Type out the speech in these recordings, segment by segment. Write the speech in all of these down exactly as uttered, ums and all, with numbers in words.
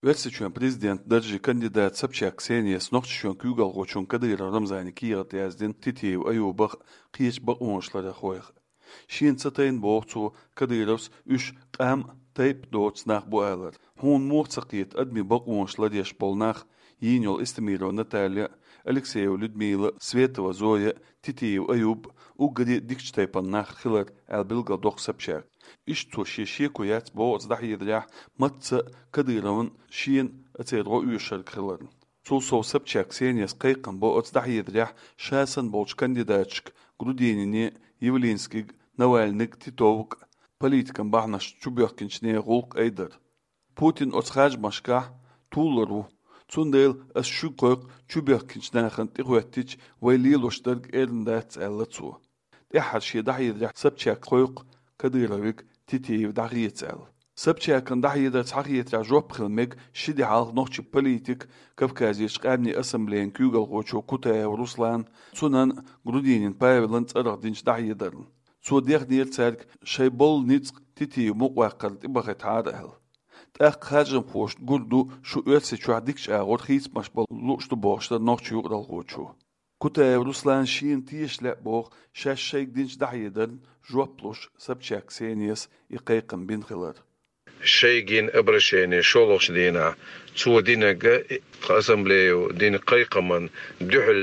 Оьрсийчоьнан президентан даржан кандидата Собчак Ксенияс Нохчийчоьнан куьйгалхочунна Кадыров Рамзана кехат яздина Титиев Аюбах, кхечу бакъонаш ларъярхойх. Шена ца тайна, боху цо, Кадыровс уьш къам а, тайпа а доцу нах бу алар. Хьуна муха ца кхета адамийн бакъонаш ларъеш болу нах, йийна йолу Эстемирова Наталья а, Алексеева Людмила а, Светова Зоя а, Титиев Аюб а уггаре а дикачу тайпана нах хилар, аьлла билгалдоккху Собчака. Иштта цо шен шеко яц боху оцу дӀахьедарехь, мацца а Кадыровна шена а, церан гӀо оьшург хиларна. Цул сов Собчак Ксенияс кхайкхам бо оцу дӀахьедарехь ша санна болчу кандидаташка: Грудинине, Явлинскига, Навальныга, Титовга, политикан бахьанаш чубоьхкинчу нехан гӀуллакх айдар. Путин оцу харжамашкахь туллур ву. Цундела ас шуьга кхойкху чубоьхкинчу нахана тӀехӀоьттича, вай лелош дерг эрна дац, аьлла цо. ТӀаьххьара шен дӀахьедарехь Собчака кхойкху Кадыровга Титиев дӀахеца аьлла. Собчакан дӀахьедар схьахетарехь жоп хила мега ши де хьалха нохчийн политика, Кавказерчу къаьмнийн ассамблеян куьйгалхочо Кутаев Руслан, цунна Грудинин Павелан цӀарах динчу дӀахьедарна. Цо дехнера цаьрга шайн болу ницкъ Титиев мукъаваккхарна тӀебахийтахьара аьлла. ТӀаккха харжамхошна гур ду, шу Оьрсийчохь дикачу агӀор хийцамаш бан лууш ду бохуш дара нохчийн юкъаралхочо. Кутаев Руслана шена теша лаьа боху шаьш шайга динчу дӀахьедарна жоп луш Собчак Ксенияс и кхайкхам бина хилар. Шайга йина обращение шолгӀачу дийнахь цо динарг а, тхан ассамблея дина кхайкхамна дуьхьал,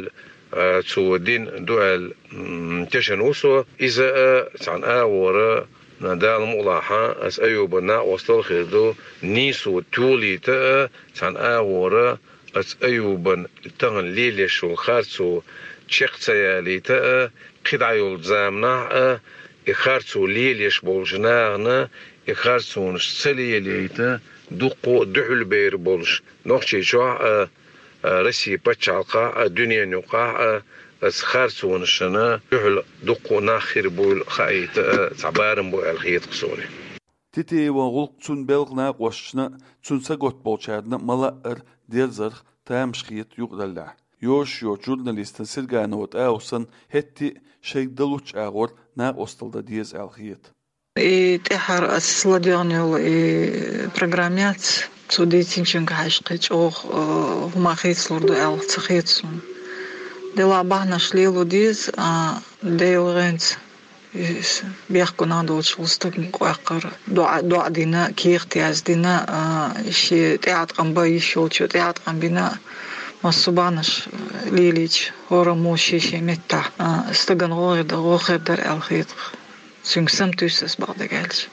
а, цо дина ду аьлла, м, тешна ву со. Иза а цхьана агӀора, Дала мукъалахь, ас Аюбан накъостал хир ду, нийсо толийта а, цхьана агӀора ас Аюбан тахана лелош йолу харцо чекх ца ялийта а, кхидӀа йолчу заманахь а, и харцо лелош болчу нахана и харцонаш ца лелийта, дуккха а дуьхьал бер болуш Нохчийчохь а, а, Россин пачхьалкхехь а, дуьненан юкъахь а, ас харцонашна дуьхьал дуккха а нах хир буйла хаийта а, цхьа барам бу аьлла хета-кх суна. Титиеван гӀуллакх цуьнан белхан накъосташна а, цуьнан сагатта болчарна а ма-лаъара дерзарх тамаш хета юкъараллехь. Йозуш йоцу журналистана Серганова ТӀаусана хӀетте а шайга дан луччу агӀор накъостал дан деза аьлла хета. И тӀаьххьара ас ладоьгӀна йолу и программа яц, цо дийцинчуьнга хьаьжча кхин чӀогӀа, э, хӀума хийцалур ду аьлла ца хета суна. Делахь бахьанаш лело деза, а, Делан гӀанца иза бехкенах долчу стагана кхойкхура, доӀа, доӀа дина, кехат яздина, а, шен тӀеӀаткъам бан йиш йолчо тӀеӀаткъам бина, массо а бахьанаш лелийча, хӀораммо шен-шен меттехь, а, стагана гӀо хир дара, гӀо хир дара аьлла хета-кх. Цуьнга саматуьйсу ас бакъдерг аьлча.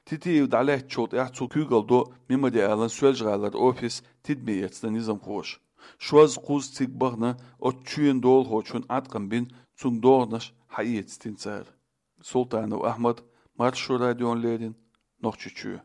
Титиев дӀалаьцначул тӀаьхьа цо куьйгалла до Мемориалан Соьлжа-ГӀалара офис тидаме эцна низамхоша. Шозза-кхузза цига бахана оцу чоьнан долахочун Ӏаткъам бина, цуьнга догӀанаш хьаэцна цара. Султанов Ахьмад, Маршо радиона леррина, Нохчийчоь.